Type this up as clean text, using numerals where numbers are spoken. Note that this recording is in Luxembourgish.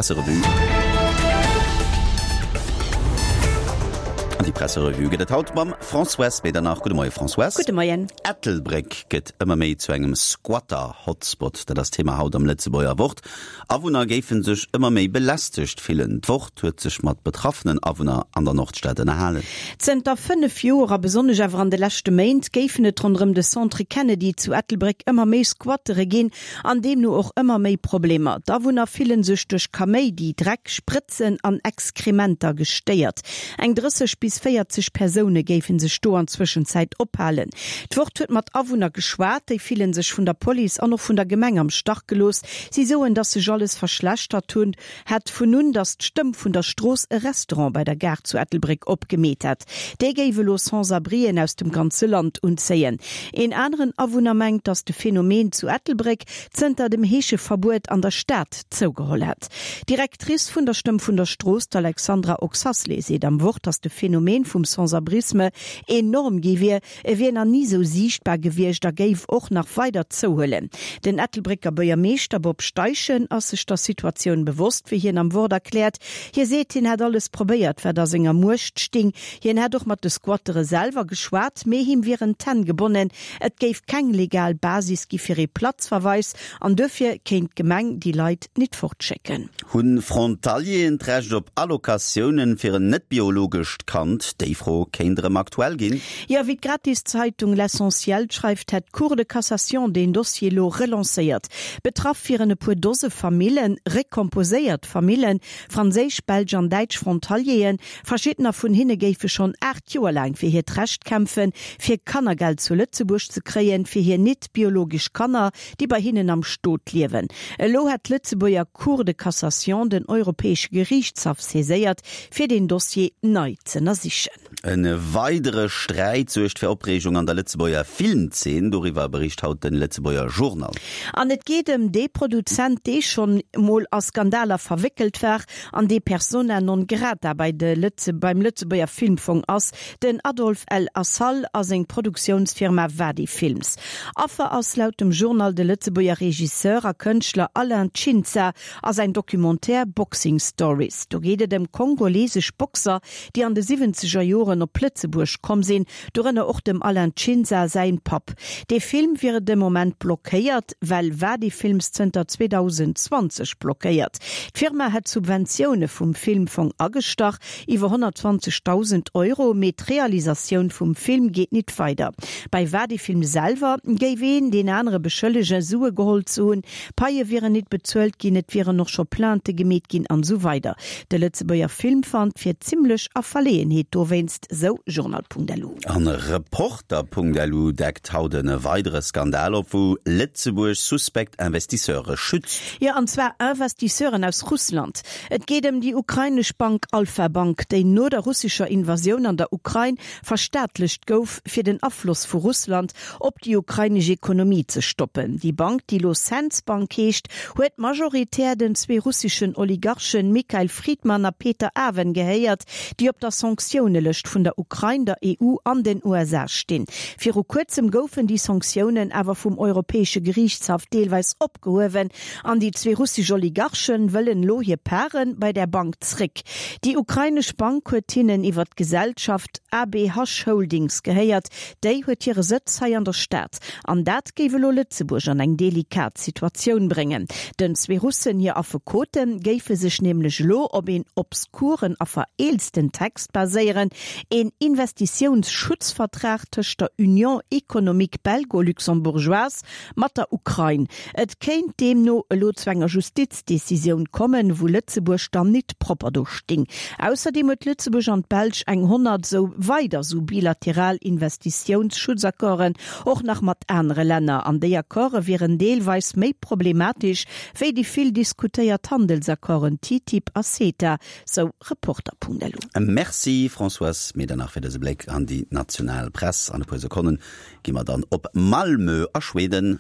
Presserevue. An déi Presserevue gëtt et haut mam Françoise Medernach. Gudde Moie Françoise. Gudde Moien. Ettelbréck gëtt ëmmer méi zu engem Squatter-Hotspot. Dat ass d'Thema haut am Lëtzebuerger Wort. Awunner géife sech ëmmer méi belästegt fillen. D'Wort huet sech mat betraffenen Awunner an der Nordstad ënnerhalen. Zënter 5 Joer a besonnesch awer an de leschte Méint géifen et ronderëm de Centre Kennedy zu Ettelbréck ëmmer méi Squattere ginn. An deemno och ëmmer méi Problemer. D'Awunner fillen sech duerch Kaméidi, Dreck, Sprëtzen an Exkrementer gestéiert. Eng 30 bis 40 Persoune géife sech do an Zwëschenzäit ophalen. D'Wort huet mat Awunner geschwat. Déi fillen sech vun der Police an och vun der Gemeng am Stach gelooss. Si soen, datt sech alles verschlechtert hunn. Hätt vun un, datt d'Stëmm vun der Strooss e Restaurant bei der Gare zu Ettelbréck opgemeet hätt. Dee géif elo Sans-abrien aus dem ganze Land unzéien. Een aneren Awunner mengt, datt de Phänomen zu Ettelbréck zënter dem Heescheverbuet an der Stad zougeholl hätt. D'Directrice vun der Stëmm vun der Strooss, d'Alexandra Oxasley, seet am Wort, datt de Phänomen vum Sans-abrisme enorm gi wier, E wier nach ni sou siichtbar gewiescht a géif och nach weider zouhuelen. Den Ettelbrécker Buergermeeschter Bob Steichen ass sech der Situatioun bewosst, wéi hien am Wort erkläert. Hie seet, hien hätt alles probéiert, wat a senger Muecht sting. Hien hätt och mat de Squattere selwer geschwat, mee him wieren d'Hänn gebonnen. Et géif keng legal Basis gi fir ee Platzverweis an duerfir kéint d'Gemeng déi Leit nit fortschécken. Hunn Frontalieren d'Recht op Allocatiounen fir en net-biologescht Kand? Déi Fro kéint erëm aktuell ginn. Jo, wéi d'Gratiszeitung L'Essentiel schreift, hätt d'Cour de Cassation deen Dossier elo relancéiert. Betraff wieren e puer Dose Famillen, recomposéiert Famillen, franséisch, belsch an däitsch Frontalieren. Verschiddener vun hinne géife schonn 8 Joer laang fir hiert Recht kämpfen, fir Kannergeld zu Lëtzebuerg ze kréien, fir hir net-biologesch Kanner, déi bei hinnen am Stot liewen. Elo hätt d'Lëtzebuerger Cour de Cassation den Europäesche Geriichtshaff saiséiert, fir deen Dossier nei z'ënnersichen. E weidere Sträit suergt fir Opreegung an der Lëtzebuerger Filmzeen. Doriwwer bericht haut de Lëtzebuerger Journal. An et geet ëm dee Produzent, dee schonn emol a Skandaler verwéckelt war an dee Persona non grata bei de beim Lëtzebuerger Filmfong ass, Den Adolf El Assal a seng Produktiounsfirma Wadi Films. Affer ass laut dem Journal de Lëtzebuerger Regisseur a Kënschtler Alain Tshinza a säin Documentaire Boxing Stories. Do geet et ëm kongolesesch Boxer, déi an de siwwenzeger Joren op Lëtzebuerg komm sinn, dorënner och dem Alain Tshinza säin Papp. Dee Film wier de Moment blockéiert, well Wadi Films zënter 2020 blockéiert. D'Firma hätt Subventioune vum Filmfong agestach, Iwwer 120.000 Euro, mee d'Realisatioun vum Film geet nit weider. Bei Wadi-Film selwer géif een deen anere beschëllegen, Sue geholl ze hunn, Paie wieren nit bezuelt ginn, et wieren och scho Plainte gemeet ginn an esou weider. De Lëtzebuerger Filmfand wier zimmlech a Verleeënheet dowéinst, sou Journal.lu. An Reporter.lu deckt haut e weidere Skandal op, wou Lëtzebuerg suspekt Investisseure schützt. Jo, an zwar Investisseuren aus Russland. Et geet ëm déi ukrainesch Bank Alfa Bank, déi no der russescher Invasioun an der Ukrain verstaatlecht gouf, fir den Afloss vu Russland op déi ukrainesch Ekonomie ze stoppen. Déi Bank, déi elo Sens Bank heescht, huet majoritär den zwee russeschen Oligarchen Mikhail Fridman a Peter Aven gehéiert, déi op der Sanktiounelëscht vun der Ukrain, der EU an den USA stinn. Viru kuerzem goufen déi Sanktiounen awer vum Europäesche Geriichtshaff deelweis opgehuewen. An déi zwee russesch Oligarchen wëllen elo hir Pare bei där Bank zréck. Déi ukrainesch Bank huet hinnen iwwer d'Gesellschaft ABH Holdings gehéiert. Déi huet hire Sëtz hei an der Stad. An dat géif elo Lëtzebuerg an eng delikat Situatioun bréngen. Den zwee Russen hir Affekote géife sech nämlech elo op een obskuren a vereelzten Text baséieren, een Investitiounsschutzvertrag tëscht der Union économique belgo-luxembourgeoise mat der Ukrain. Et kéint deemno elo zu enger Justizdecisioun kommen, wou Lëtzebuerg dann nit propper do sting. Ausserdeem huet Lëtzebuerg an d'Belsch eng 100 sou weider sou bilateral Investitiounsschutzakorden, och nach mat anere Länner. An déi Accorde wieren deelweis méi problematesch wéi déi vill diskutéiert Handelsaccorden TTIP a CETA, sou Reporter.lu. Merci Françoise Medernach fir dëse Bléck an déi national Press. An e puer Sekonnen Gi mer dann op Malmö a Schweden.